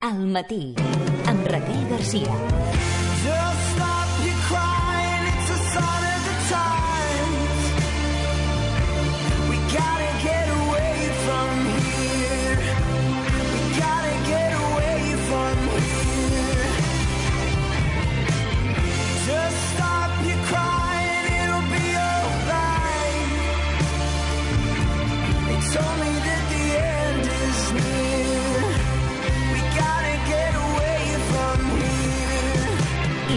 Al matí, amb Raquel Garcia. Just stop your crying, it's a sign of the times. We gotta get away from here. We gotta get away from here. Just stop your crying, it'll be alright. It's only that the end is near. We gotta get away from here.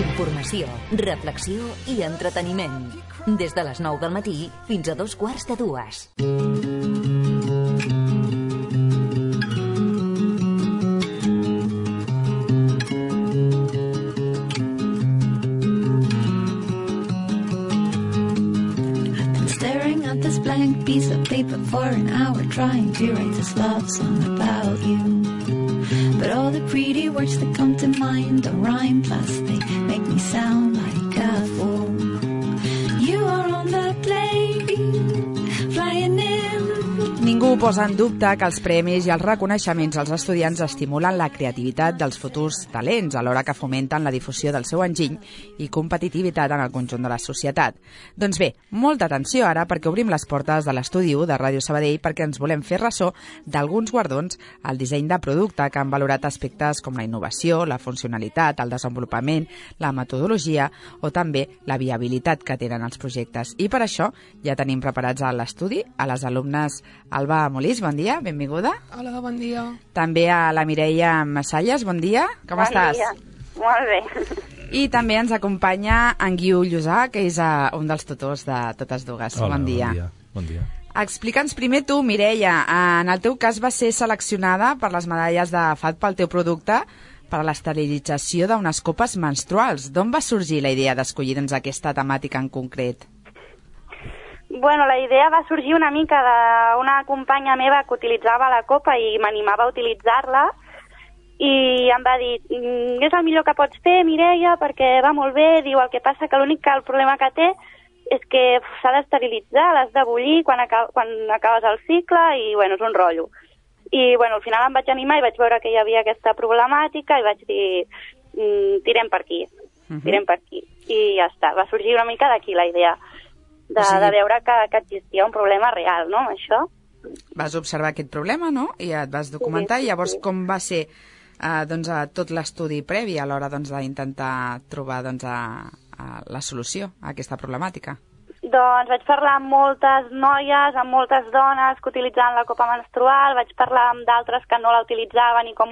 Informació, reflexió i entreteniment. Des de les 9 del matí fins a 2:15. Staring at this blank piece of paper for an hour, trying to write this love song about you. But all the pretty words that come to mind don't rhyme, plus they make me sound like a fool. You are on the plane, flying in. Ningú posa en dubte que els premis i els reconeixements als estudiants estimulen la creativitat dels futurs talents, alhora que fomenten la difusió del seu enginy i competitivitat en el conjunt de la societat. Doncs bé, molta atenció ara, perquè obrim les portes de l'estudi 1 de Ràdio Sabadell, perquè ens volem fer ressò d'alguns guardons al disseny de producte que han valorat aspectes com la innovació, la funcionalitat, el desenvolupament, la metodologia o també la viabilitat que tenen els projectes. I per això ja tenim preparats a l'estudi a les alumnes Alba Molís, bon dia, benvinguda. Hola, bon dia. També a la Mireia Massalles, bon dia. Com estàs? Bon dia. Molt bé. I també ens acompanya en Guiu Llosà, que és un dels tutors de totes dues. Hola, bon dia. Bon dia. Explica'ns primer tu, Mireia, en el teu cas va ser seleccionada per les medalles de FAD pel teu producte per a l'esterilització d'unes copes menstruals. D'on va sorgir la idea d'escollir aquesta temàtica en concret? Bueno, la idea va sorgir una mica d'una companya meva que utilitzava la copa i m'animava a utilitzar-la i em va dir, és el millor que pots fer, Mireia, perquè va molt bé. Diu, el que passa que el problema que té és que s'ha d'esterilitzar, l'has de bullir quan acabes el cicle i, bueno, és un rotllo. I, bueno, al final em vaig animar i vaig veure que hi havia aquesta problemàtica i vaig dir, tirem per aquí, tirem per aquí. I ja està, va sorgir una mica d'aquí la idea. De veure que existia un problema real, no?, això. Vas observar aquest problema, no?, i et vas documentar, i llavors com va ser tot l'estudi previ a l'hora d'intentar trobar la solució a aquesta problemàtica? Doncs vaig parlar amb moltes noies, amb moltes dones que utilitzaven la copa menstrual, vaig parlar amb d'altres que no la utilitzaven i com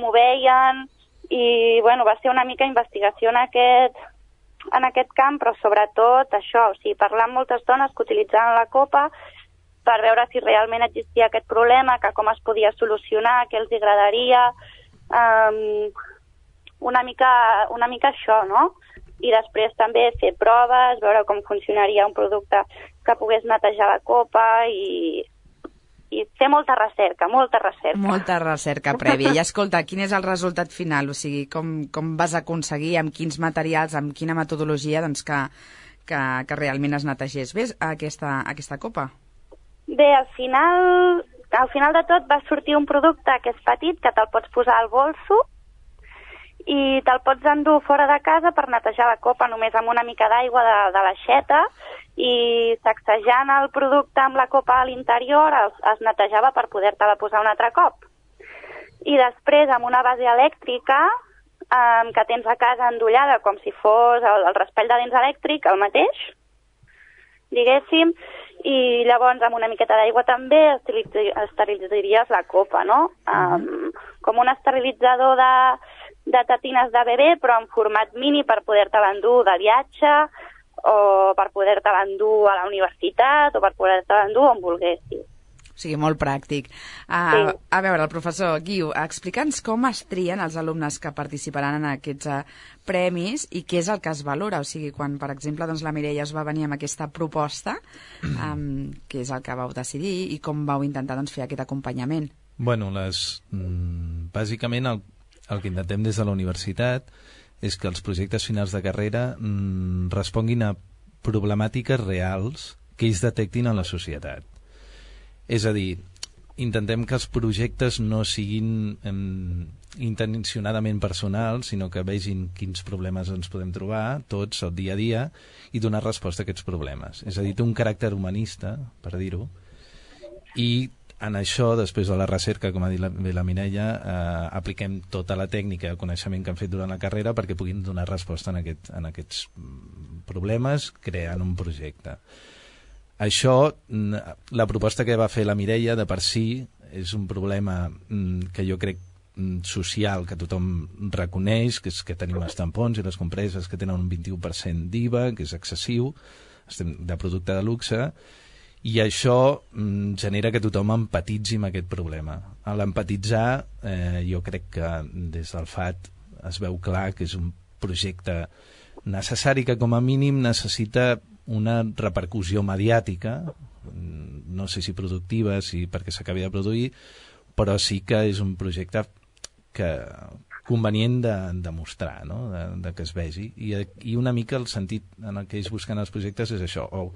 ho veien, i bueno, va ser una mica investigació en aquest camp, però sobretot això, o sigui, parlar amb moltes dones que utilitzaven la copa per veure si realment existia aquest problema, que com es podia solucionar, què els agradaria, una mica això, no? I després també fer proves, veure com funcionaria un producte que pogués netejar la copa i fer molta recerca. Molta recerca prèvia. I escolta, quin és el resultat final? O sigui, com vas aconseguir, amb quins materials, amb quina metodologia, doncs que realment es netegés bé aquesta copa? Bé, al final de tot va sortir un producte que és petit, que te'l pots posar al bolso i te'l pots endur fora de casa per netejar la copa només amb una mica d'aigua de l'aixeta, i sacsejant el producte amb la copa a l'interior es netejava per poder-te-la posar un altre cop. I després, amb una base elèctrica que tens a casa endollada com si fos el raspall de dents elèctric, el mateix, diguéssim, i llavors amb una miqueta d'aigua també esterilitzaries la copa, no? Com un esterilitzador de tetines de bebè, però en format mini per poder-te-la endur de viatge, o per poder-te-la endur a la universitat, o per poder-te-la endur on volguessis. O sigui, molt pràctic. A veure, el professor Guiu, explica'ns com es trien els alumnes que participaran en aquests premis i què és el que es valora. O sigui, quan, per exemple, doncs, la Mireia us va venir amb aquesta proposta, què és el que vau decidir i com vau intentar fer aquest acompanyament? Bueno, bàsicament el que intentem des de la universitat és que els projectes finals de carrera responguin a problemàtiques reals que ells detectin en la societat. És a dir, intentem que els projectes no siguin intencionadament personals, sinó que vegin quins problemes ens podem trobar, tots, el dia a dia, i donar resposta a aquests problemes. És a dir, té un caràcter humanista, per dir-ho, i en això, després de la recerca, com ha dit la Mireia, apliquem tota la tècnica de coneixement que hem fet durant la carrera perquè puguin donar resposta en aquests problemes creant un projecte. Això, la proposta que va fer la Mireia de per si és un problema que jo crec social que tothom reconeix, que és que tenim els tampons i les compreses que tenen un 21% d'IVA, que és excessiu, estem de producte de luxe, i això genera que tothom empatitzi amb aquest problema. A l'empatitzar, jo crec que des del FAT es veu clar que és un projecte necessari que com a mínim necessita una repercussió mediàtica, no sé si productiva, si perquè s'acabi de produir, però sí que és un projecte convenient de mostrar, no? de que es vegi. I una mica el sentit en el que ells busquen els projectes és això, o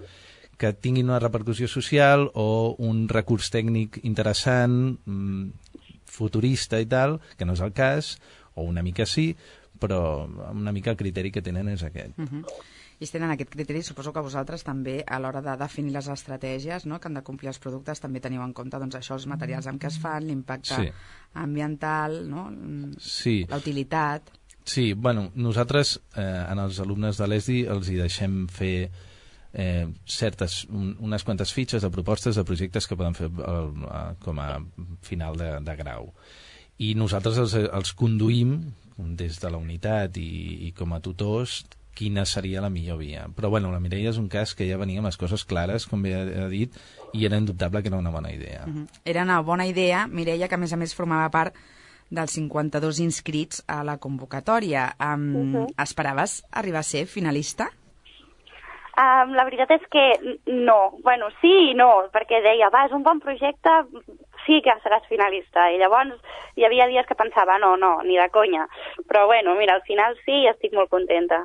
que tinguin una repercussió social o un recurs tècnic interessant, futurista i tal, que no és el cas, o una mica sí, però una mica el criteri que tenen és aquest. I si tenen aquest criteri, suposo que vosaltres també a l'hora de definir les estratègies, no?, que han de complir els productes, també teniu en compte doncs, això, els materials amb què es fan, l'impacte ambiental, no? Sí. La utilitat. Sí, bueno, nosaltres en els alumnes de l'ESDI els hi deixem fer unes quantes fitxes de propostes de projectes que poden fer com a final de grau. I nosaltres els conduïm des de la unitat i com a tutors quina seria la millor via. Però bueno, la Mireia és un cas que ja venia amb les coses clares, com bé ha dit, i era indubtable que era una bona idea. Era una bona idea, Mireia, que a més formava part dels 52 inscrits a la convocatòria. Esperaves arribar a ser finalista? La veritat és que no. Bueno, sí i no, perquè deia, és un bon projecte, sí que seràs finalista. I llavors hi havia dies que pensava, no, ni de conya. Però bueno, mira, al final sí i estic molt contenta.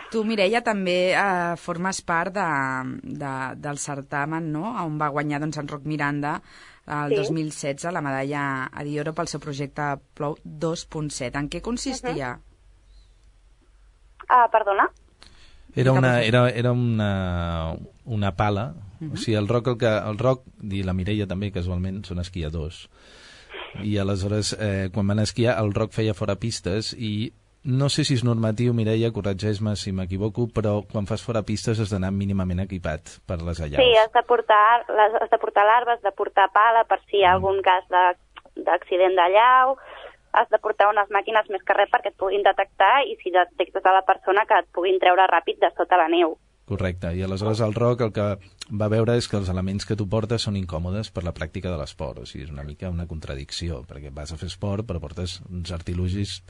Tu, Mireia, també formes part del certamen, no?, on va guanyar doncs, en Roc Miranda el 2016 la medalla a Dioro pel seu projecte Plou 2.7. En què consistia? Perdona? Era una pala. O sigui, el Roc i la Mireia també, casualment, són esquiadors. I aleshores, quan van esquiar, el Roc feia fora pistes i no sé si és normatiu, Mireia, corregeix-me si m'equivoco, però quan fas fora pistes has d'anar mínimament equipat per les allaus. Sí, has de portar larves, has de portar pala per si hi ha algun cas d'accident d'allau, has de portar unes màquines més que res perquè et puguin detectar i si detectes a la persona que et puguin treure ràpid de sota la neu. Correcte, i aleshores el Roc el que va veure és que els elements que tu portes són incòmodes per la pràctica de l'esport, o sigui, és una mica una contradicció, perquè vas a fer esport però portes uns artilugis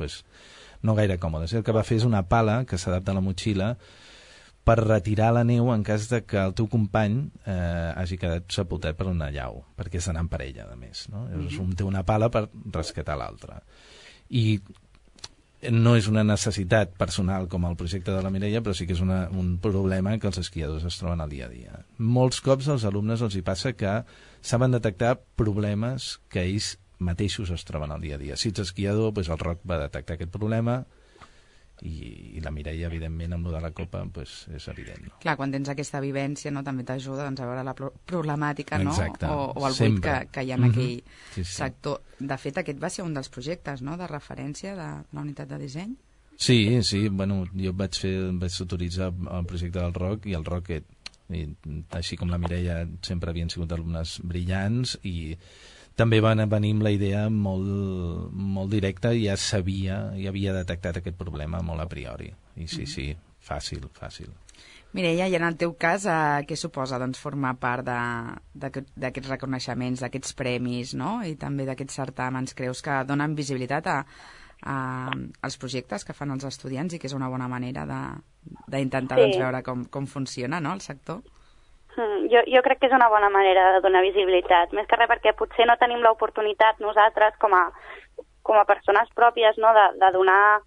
no gaire còmodes. El que va fer és una pala que s'adapta a la motxilla per retirar la neu en cas de que el teu company hagi quedat sepultat per una allau, perquè és d'anar en parella, a més, no? Llavors un té una pala per rescatar l'altre. I no és una necessitat personal com el projecte de la Mireia, però sí que és un problema que els esquiadors es troben al dia a dia. Molts cops als alumnes els hi passa que saben detectar problemes que ells mateixos es troben al dia a dia. Si ets esquiador, doncs el Roc va detectar aquest problema i la Mireia, evidentment, amb lo de la copa, és evident. No? Clar, quan tens aquesta vivència, no, també t'ajuda a veure la problemàtica, no? Exacte. O el buit que hi ha en aquell sector. De fet, aquest va ser un dels projectes, no?, de referència de la unitat de disseny. Sí, bueno, jo vaig autoritzar el projecte del Roc i el Roc, així com la Mireia, sempre havien sigut alumnes brillants i també van venir amb la idea molt directa i ja havia detectat aquest problema molt a priori. I sí, fàcil. Mireia, i en el teu cas, què suposa doncs, formar part d'aquests reconeixements, d'aquests premis, no?, i també d'aquests certàmens? Creus que donen visibilitat als projectes que fan els estudiants i que és una bona manera d'intentar veure com funciona, no?, el sector? Jo crec que és una bona manera de donar visibilitat, més que res perquè potser no tenim l'oportunitat nosaltres com a persones pròpies, no?, de donar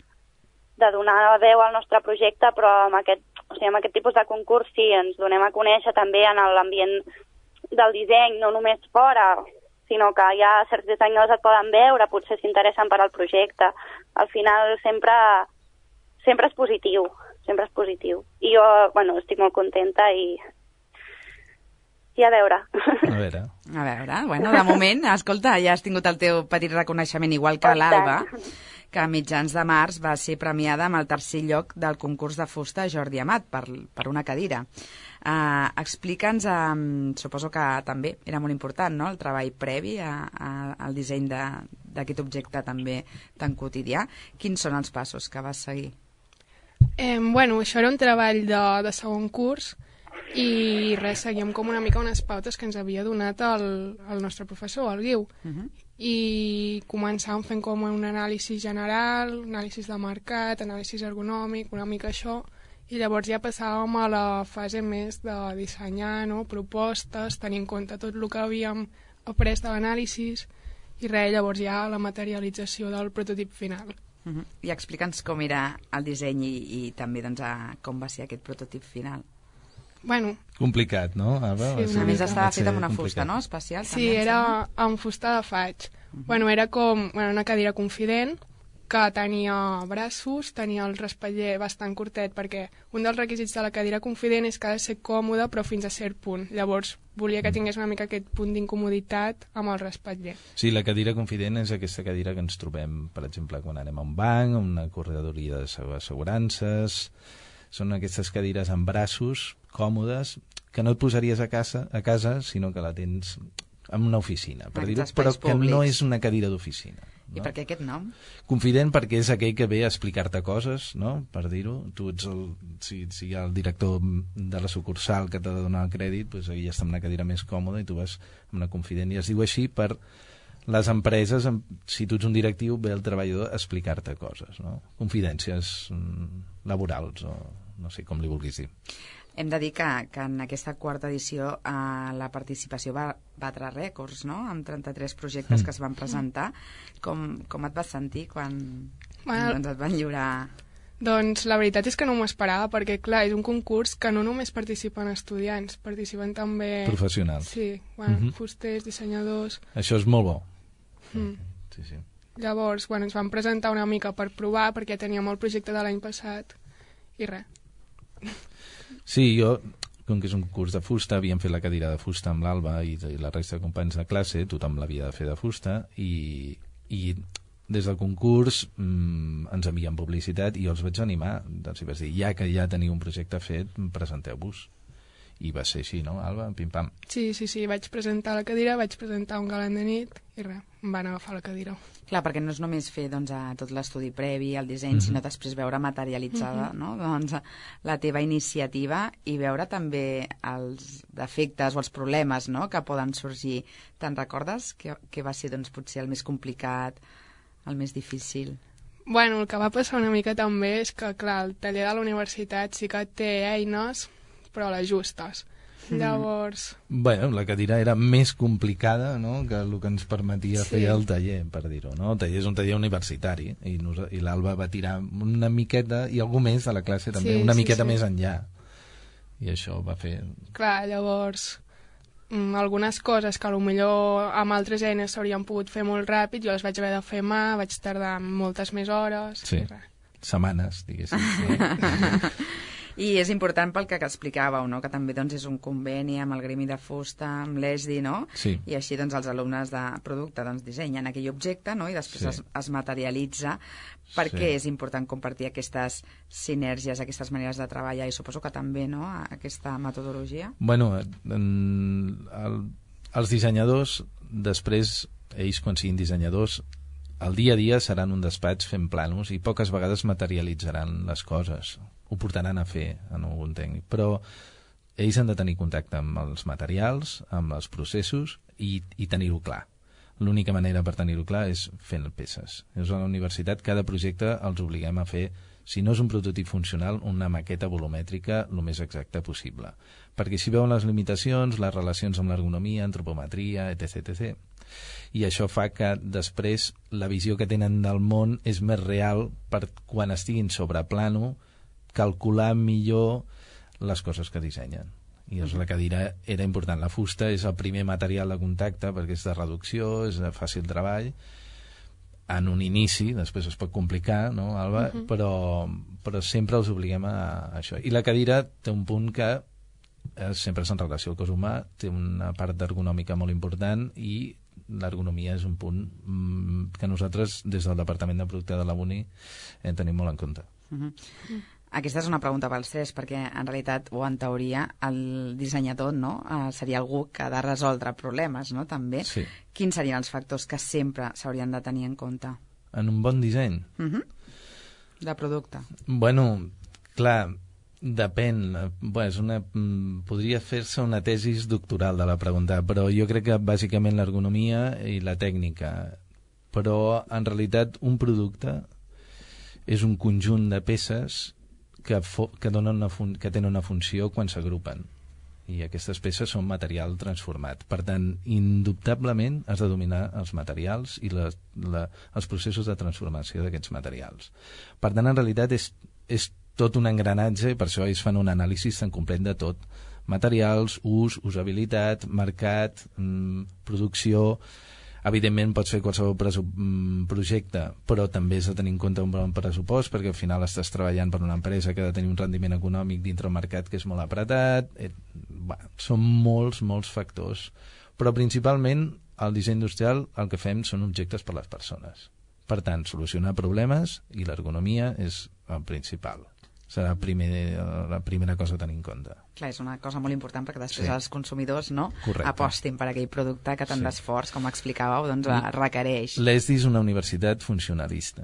veu al nostre projecte, però amb aquest tipus de concurs sí, ens donem a conèixer també en l'ambient del disseny, no només fora, sinó que ja certs dissenyadors et poden veure, potser s'interessen per al projecte. Al final sempre és positiu, sempre és positiu. I jo, bueno, estic molt contenta i a veure. A veure. A veure, bueno, de moment, escolta, ja has tingut el teu petit reconeixement, igual que l'Alba, que a mitjans de març va ser premiada amb el 3è lloc del concurs de fusta Jordi Amat per una cadira. Explica'ns, suposo que també era molt important, no?, el treball previ al disseny d'aquest objecte també tan quotidià. Quins són els passos que vas seguir? Bueno, això era un treball de segon curs i res, seguíem com una mica unes pautes que ens havia donat el nostre professor, el Guiu. I començàvem fent com un anàlisi general, anàlisi de mercat, anàlisi ergonòmic, una mica això, i llavors ja passàvem a la fase més de dissenyar, no?, propostes, tenir en compte tot el que havíem après de l'anàlisi i res, llavors ja la materialització del prototip final. I explica'ns com era el disseny i també doncs, com va ser aquest prototip final. Bueno, complicat, no, Alba? Sí, a més estava fet amb una fusta, no?, especial. Sí, també, era amb fusta de faig. Bueno, era com una cadira confident que tenia braços, tenia el respatller bastant curtet, perquè un dels requisits de la cadira confident és que ha de ser còmode però fins a cert punt. Llavors volia que tingués una mica aquest punt d'incomoditat amb el respatller. Sí, la cadira confident és aquesta cadira que ens trobem, per exemple, quan anem a un banc, a una corredoria d'assegurances. Són aquestes cadires amb braços còmodes que no et posaries a casa, sinó que la tens en una oficina, per dir-ho, però que no és una cadira d'oficina. No? I per què aquest nom? Confident perquè és aquell que ve a explicar-te coses, no?, per dir-ho. Tu ets si hi ha el director de la sucursal que t'ha de donar el crèdit, doncs ell està en una cadira més còmoda i tu vas en una confident. I es diu així per les empreses, si tu ets un directiu, ve el treballador a explicar-te coses, no? Confidències laborals o no sé com li vulguis dir. Hem de dir que en aquesta 4ª edició la participació va batre rècords, no?, amb 33 projectes que es van presentar. Com et vas sentir quan et van lliurar? Doncs la veritat és que no m'ho esperava, perquè clar, és un concurs que no només participen estudiants, participen també professionals. Sí, bueno, fusters, dissenyadors. Això és molt bo. Sí, sí. Llavors, bueno, ens van presentar una mica per provar, perquè teníem el projecte de l'any passat i res. Sí, jo, com que és un curs de fusta, havíem fet la cadira de fusta amb l'Alba i la resta de companys de classe, tothom l'havia de fer de fusta, i des del concurs ens envien publicitat i jo els vaig animar, doncs, i vaig dir, ja que ja teniu un projecte fet, presenteu-vos. I va ser així, no, Alba? Pim-pam. Sí, vaig presentar la cadira, vaig presentar un galant de nit i res, em van agafar la cadira. Clar, perquè no és només fer doncs, tot l'estudi previ, el disseny, sinó després veure materialitzada no? doncs, la teva iniciativa i veure també els defectes o els problemes no? que poden sorgir. Te'n recordes que va ser doncs, potser el més complicat, el més difícil? Bueno, el que va passar una mica també és que, clar, el taller de la universitat sí que té eines, però les justes. Llavors... Bueno, la cadira era més complicada no? que el que ens permetia fer el taller, per dir-ho. No? El taller és un taller universitari i l'Alba va tirar una miqueta, i algú més de la classe també, una miqueta més enllà. I això va fer... Clar, llavors, algunes coses que potser amb altres eines s'haurien pogut fer molt ràpid, jo les vaig haver de fer mà, vaig tardar moltes més hores... Sí, setmanes, diguéssim. I és important pel que explicàveu, no? Que també doncs, és un conveni amb el Gremi de Fusta, amb l'ESDI, no? Sí. I així doncs, els alumnes de producte doncs, dissenyen aquell objecte no? I després es materialitza. Per què és important compartir aquestes sinergies, aquestes maneres de treballar i suposo que també no? Aquesta metodologia? Bueno, els dissenyadors, després, ells quan siguin dissenyadors, el dia a dia seran un despatx fent planos i poques vegades materialitzaran les coses. Ho portaran a fer en algun tècnic, però ells han de tenir contacte amb els materials, amb els processos i tenir-ho clar. L'única manera per tenir-ho clar és fent peces. A la universitat cada projecte els obliguem a fer, si no és un prototip funcional, una maqueta volumètrica el més exacta possible. Perquè si veuen les limitacions, les relacions amb l'ergonomia, antropometria, etc. I això fa que després la visió que tenen del món és més real per quan estiguin sobre plano calcular millor les coses que dissenyen. i la cadira era important. La fusta és el primer material de contacte perquè és de reducció, és de fàcil treball en un inici, després es pot complicar, no, Alba? Però sempre els obliguem a això. I la cadira té un punt que sempre és en relació al cos humà, té una part ergonòmica molt important i l'ergonomia és un punt que nosaltres des del Departament de Producte de la UNI tenim molt en compte. Aquesta és una pregunta pels tres, perquè en realitat, o en teoria, el dissenyador, no? Seria algú que ha de resoldre problemes, no? També. Sí. Quins serien els factors que sempre s'haurien de tenir en compte? En un bon disseny? De producte. Bueno, clar, depèn. Podria fer-se una tesis doctoral de la pregunta, però jo crec que bàsicament l'ergonomia i la tècnica. Però en realitat un producte és un conjunt de peces que tenen una funció quan s'agrupen. I aquestes peces són material transformat. Per tant, indubtablement has de dominar els materials i els processos de transformació d'aquests materials. Per tant, en realitat és tot un engranatge, per això ells fan un anàlisi tan complet de tot. Materials, ús, usabilitat, mercat, producció. Evidentment pots fer qualsevol projecte, però també has de tenir en compte un bon pressupost, perquè al final estàs treballant per una empresa que ha de tenir un rendiment econòmic dintre el mercat que és molt apretat. Són molts factors. Però principalment al disseny industrial el que fem són objectes per a les persones. Per tant, solucionar problemes i l'ergonomia és el principal. Serà la primera cosa a tenir en compte. Clar, és una cosa molt important perquè després els consumidors Correcte. apostin per aquell producte que tant d'esforç, com explicàveu, doncs requereix. L'ESDI és una universitat funcionalista.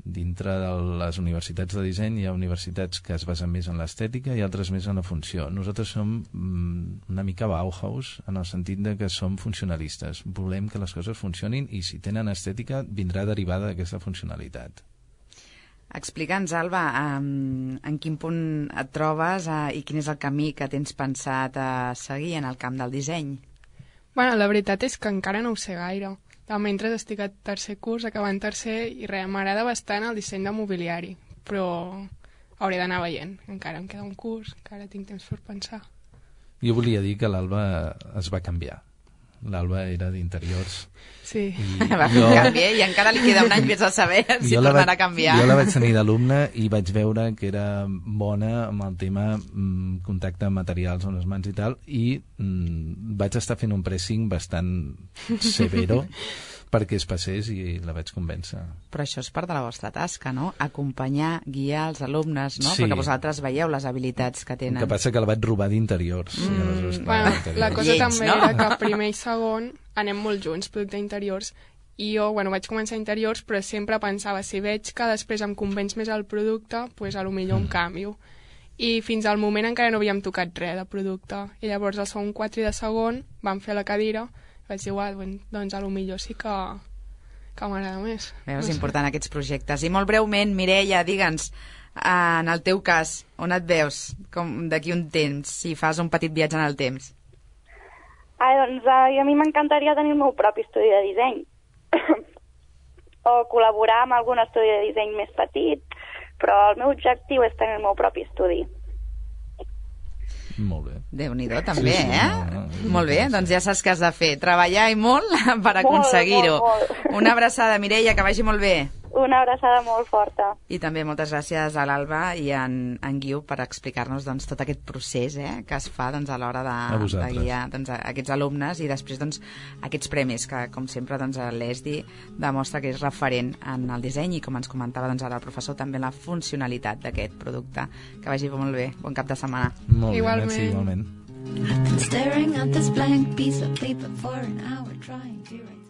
Dintre de les universitats de disseny hi ha universitats que es basen més en l'estètica i altres més en la funció. Nosaltres som una mica Bauhaus en el sentit de que som funcionalistes. Volem que les coses funcionin i si tenen estètica vindrà derivada d'aquesta funcionalitat. Explica'ns, Alba, en quin punt et trobes i quin és el camí que tens pensat a seguir en el camp del disseny? Bueno, la veritat és que encara no ho sé gaire. De mentre estic a tercer curs, acabant tercer, i m'agrada bastant el disseny de mobiliari, però hauré d'anar veient. Encara em queda un curs, encara tinc temps per pensar. Jo volia dir que l'Alba es va canviar. L'Alba era d'interiors. Sí. Va fer un canvi, i encara li queda un any més a saber si tornarà a canviar. Jo la vaig tenir d'alumne i vaig veure que era bona amb el tema contacte amb materials amb les mans i tal, i vaig estar fent un pressing bastant severo perquè es passés i la vaig convèncer. Però això és part de la vostra tasca, no? Acompanyar, guiar els alumnes, no? Sí. Perquè vosaltres veieu les habilitats que tenen. El que passa que la vaig robar d'interiors. Bueno, la cosa també era que primer i segon anem molt junts, producte interiors, i jo, vaig començar interiors, però sempre pensava, si veig que després em convenç més el producte, doncs potser em canvio. I fins al moment encara no havíem tocat res de producte. I llavors al segon 4 i de segon vam fer la cadira, vaig dir, doncs potser sí que m'agrada més. És important aquests projectes. I molt breument, Mireia, digue'ns, en el teu cas, on et veus d'aquí un temps, si fas un petit viatge en el temps? Doncs a mi m'encantaria tenir el meu propi estudi de disseny. O col·laborar amb algun estudi de disseny més petit, però el meu objectiu és tenir el meu propi estudi. Molt bé. Déu-n'hi-do, també, sí, No. Molt bé, doncs ja saps què has de fer. Treballar i molt per aconseguir-ho. Molt. Una abraçada, Mireia, que vagi molt bé. Una abraçada molt forta. I també moltes gràcies a l'Alba i en Guiu per explicar-nos tot aquest procés que es fa a l'hora de guiar aquests alumnes i després aquests premis que, com sempre, l'ESDI demostra que és referent en el disseny i, com ens comentava ara el professor, també la funcionalitat d'aquest producte. Que vagi molt bé. Bon cap de setmana. Molt bé, Igualment. merci, igualment. I've been staring at this blank piece of paper for an hour trying to write